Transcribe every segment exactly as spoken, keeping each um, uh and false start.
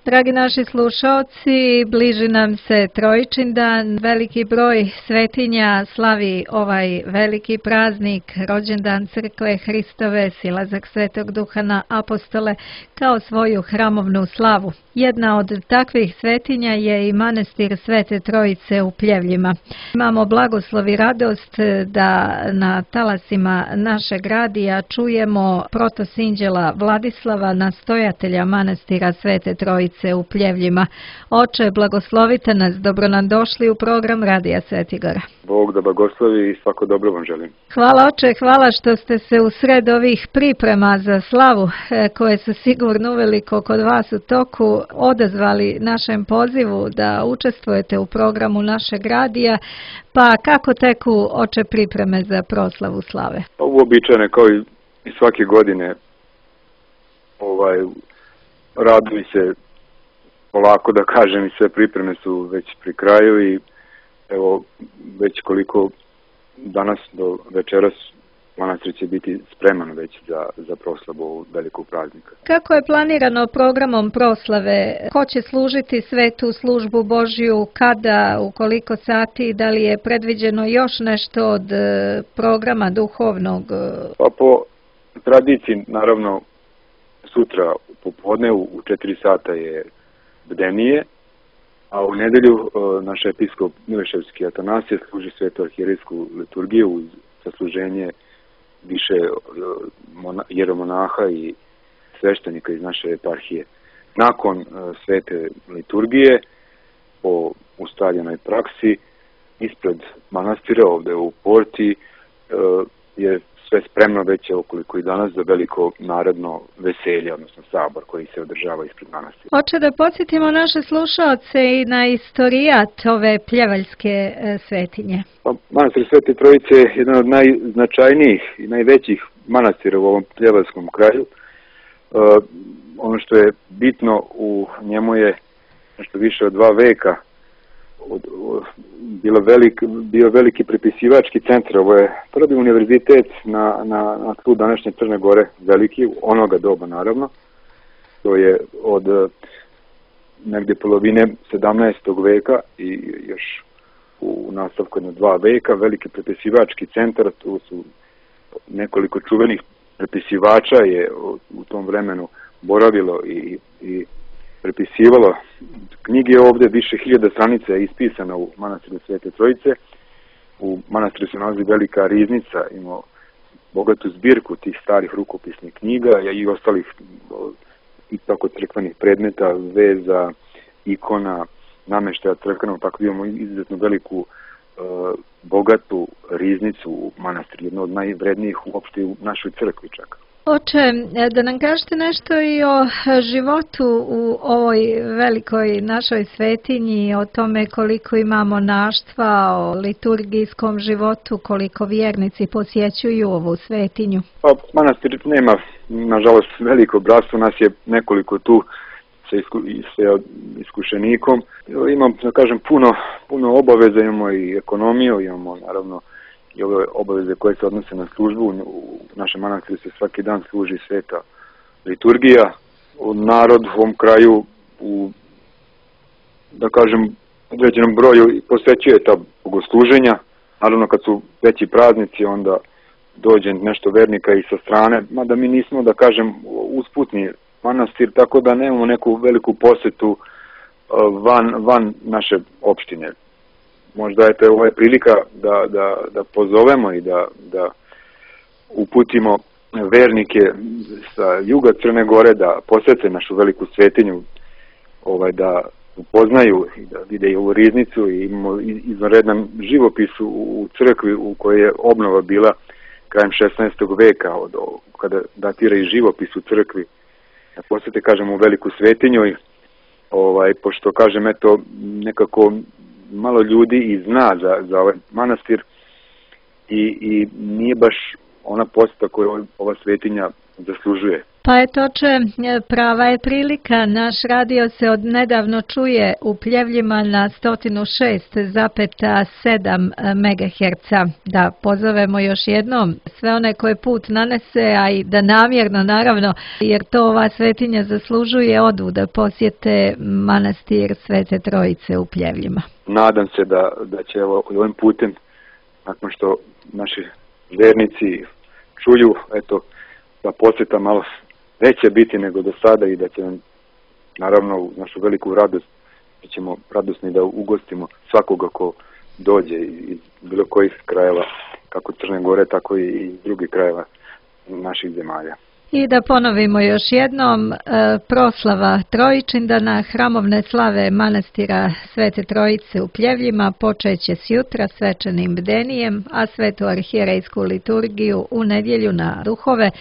Dragi naši slušaoci, bliži nam se Trojičindan, veliki broj svetinja slavi ovaj veliki praznik, rođendan Crkve Hristove, silazak Svetog Duha na apostole kao svoju hramovnu slavu. Jedna od takvih svetinja je i manastir Svete Trojice u Pljevljima. Imamo blagoslov i radost da na talasima našeg radija čujemo protosinđela Vladislava, nastojatelja manastira Svete Trojice u Pljevljima. Oče, blagoslovite nas, dobro nam došli u program Radija Svetigora. Bog da blagoslovi i svako dobro vam želim. Hvala oče, hvala što ste se u sred ovih priprema za slavu, koje su sigurno uveliko kod vas u toku, odazvali našem pozivu da učestvujete u programu našeg radija. Pa kako teku oče pripreme za proslavu slave? Uobičajene kao i svake godine, ovaj, raduju se polako da kažem i sve pripreme su već pri kraju i evo već koliko danas do večeras manastir će biti spreman već za, za proslavu velikog praznika. Kako je planirano programom proslave? Ko će služiti svetu službu Božju, kada, u koliko sati, da li je predviđeno još nešto od programa duhovnog? Pa po tradiciji, naravno, sutra popodne u četiri sata je bdenije, a u nedelju naš episkop Mileševski Atanasije služi svetu arhijerejsku liturgiju uz sasluženje više jeromonaha i sveštenika iz naše eparhije. Nakon svete liturgije, po ustaljenoj praksi, ispred manastira ovde u porti je sve spremno već okoliko i danas za veliko narodno veselje, odnosno sabor koji se održava ispred manastira. Hoće da podsjetimo naše slušaoce i na istorijat ove pljevaljske svetinje. Pa, manastir Svete Trojice je jedan od najznačajnijih i najvećih manastira u ovom pljevaljskom kraju. E, ono što je bitno u njemu je nešto više od dva veka Od, od, bilo velik, bio veliki prepisivački centar. Ovo je prvi univerzitet na, na, na tlu današnje Crne Gore, veliki, onoga doba naravno. To je od negdje polovine sedamnaestog veka i još u nastavku jedno dva veka, veliki prepisivački centar. Tu su nekoliko čuvenih prepisivača je u tom vremenu boravilo i, i prepisivalo knjige. Ovdje više hiljada stranica je ispisana u manastiru Svete Trojice. U manastiru se nalazi velika riznica, ima bogatu zbirku tih starih rukopisnih knjiga i ostalih i tako crkvenih predmeta, veza, ikona, nameštaja crkvenog, tako da imamo izuzetno veliku e, bogatu riznicu u manastiru, jedno od najvrednijih uopšte u našoj crkvi čak. Oče, da nam kažete nešto i o životu u ovoj velikoj našoj svetinji, o tome koliko imamo monaštva, o liturgijskom životu, koliko vjernici posjećuju ovu svetinju. Pa, manastir nema, nažalost, veliko bratstvo, nas je nekoliko tu sa, isku, sa iskušenikom. Imam, da kažem, puno, puno obaveza, imamo i ekonomiju, imamo naravno i ove obaveze koje se odnose na službu. U našem manastiru se svaki dan služi sveta liturgija. Narod u ovom kraju u, da kažem, određenom broju posvećuje ta bogosluženja. Naravno kad su veći praznici onda dođe nešto vernika i sa strane, mada mi nismo, da kažem, usputni manastir, tako da nemamo neku veliku posetu van, van naše opštine. Možda je to ovo je prilika da, da, da pozovemo i da, da uputimo vernike sa juga Crne Gore da posete našu veliku svetinju, ovaj, da upoznaju i da vide i ovu riznicu i imamo izvanredan živopis u, u crkvi u kojoj je obnova bila krajem šesnaestog veka, od, kada datira i živopis u crkvi. Da posete, kažem, u veliku svetinju i ovaj, pošto, kažem, eto, nekako malo ljudi i zna za, za ovaj manastir i, i nije baš ona poseta koju ova svetinja zaslužuje. Pa eto, oče, prava je prilika. Naš radio se od nedavno čuje u Pljevljima na sto šest zarez sedam megaherca. Da pozovemo još jednom sve one koje put nanese, a i da namjerno, naravno, jer to ova svetinja zaslužuje, odu da posjete manastir Svete Trojice u Pljevljima. Nadam se da, da će evo, ovim putem, nakon što naši vernici čuju, eto, da posjeta malo neće biti nego do sada i da će nam, naravno, u našu veliku radost, da ćemo radosni da ugostimo svakoga ko dođe iz bilo kojih krajeva, kako Crne Gore, tako i iz drugih krajeva naših zemalja. I da ponovimo još jednom, e, proslava Trojičindana, hramovne slave manastira Svete Trojice u Pljevljima počeće s jutra svečanim bdenijem, a svetu arhijerejsku liturgiju u nedjelju na Ruhove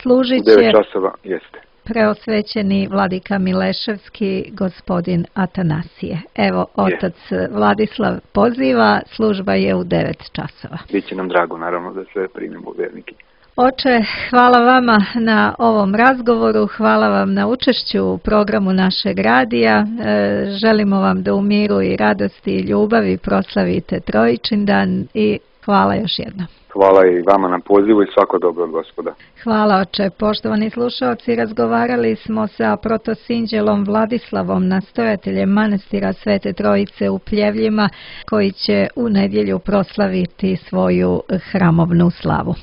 služit će u devet časova, jeste. Preosvećeni vladika Mileševski, gospodin Atanasije. Evo, otac je. Vladislav poziva, služba je u devet časova. Biće nam drago, naravno, da sve primimo vernike. Oče, hvala vama na ovom razgovoru, hvala vam na učešću u programu našeg radija. E, želimo vam da u miru i radosti i ljubavi proslavite Trojičindan i hvala još jednom. Hvala i vama na pozivu i svako dobro od Gospoda. Hvala, oče. Poštovani slušalci, razgovarali smo sa protosinđelom Vladislavom, nastojateljem manastira Svete Trojice u Pljevljima, koji će u nedjelju proslaviti svoju hramovnu slavu.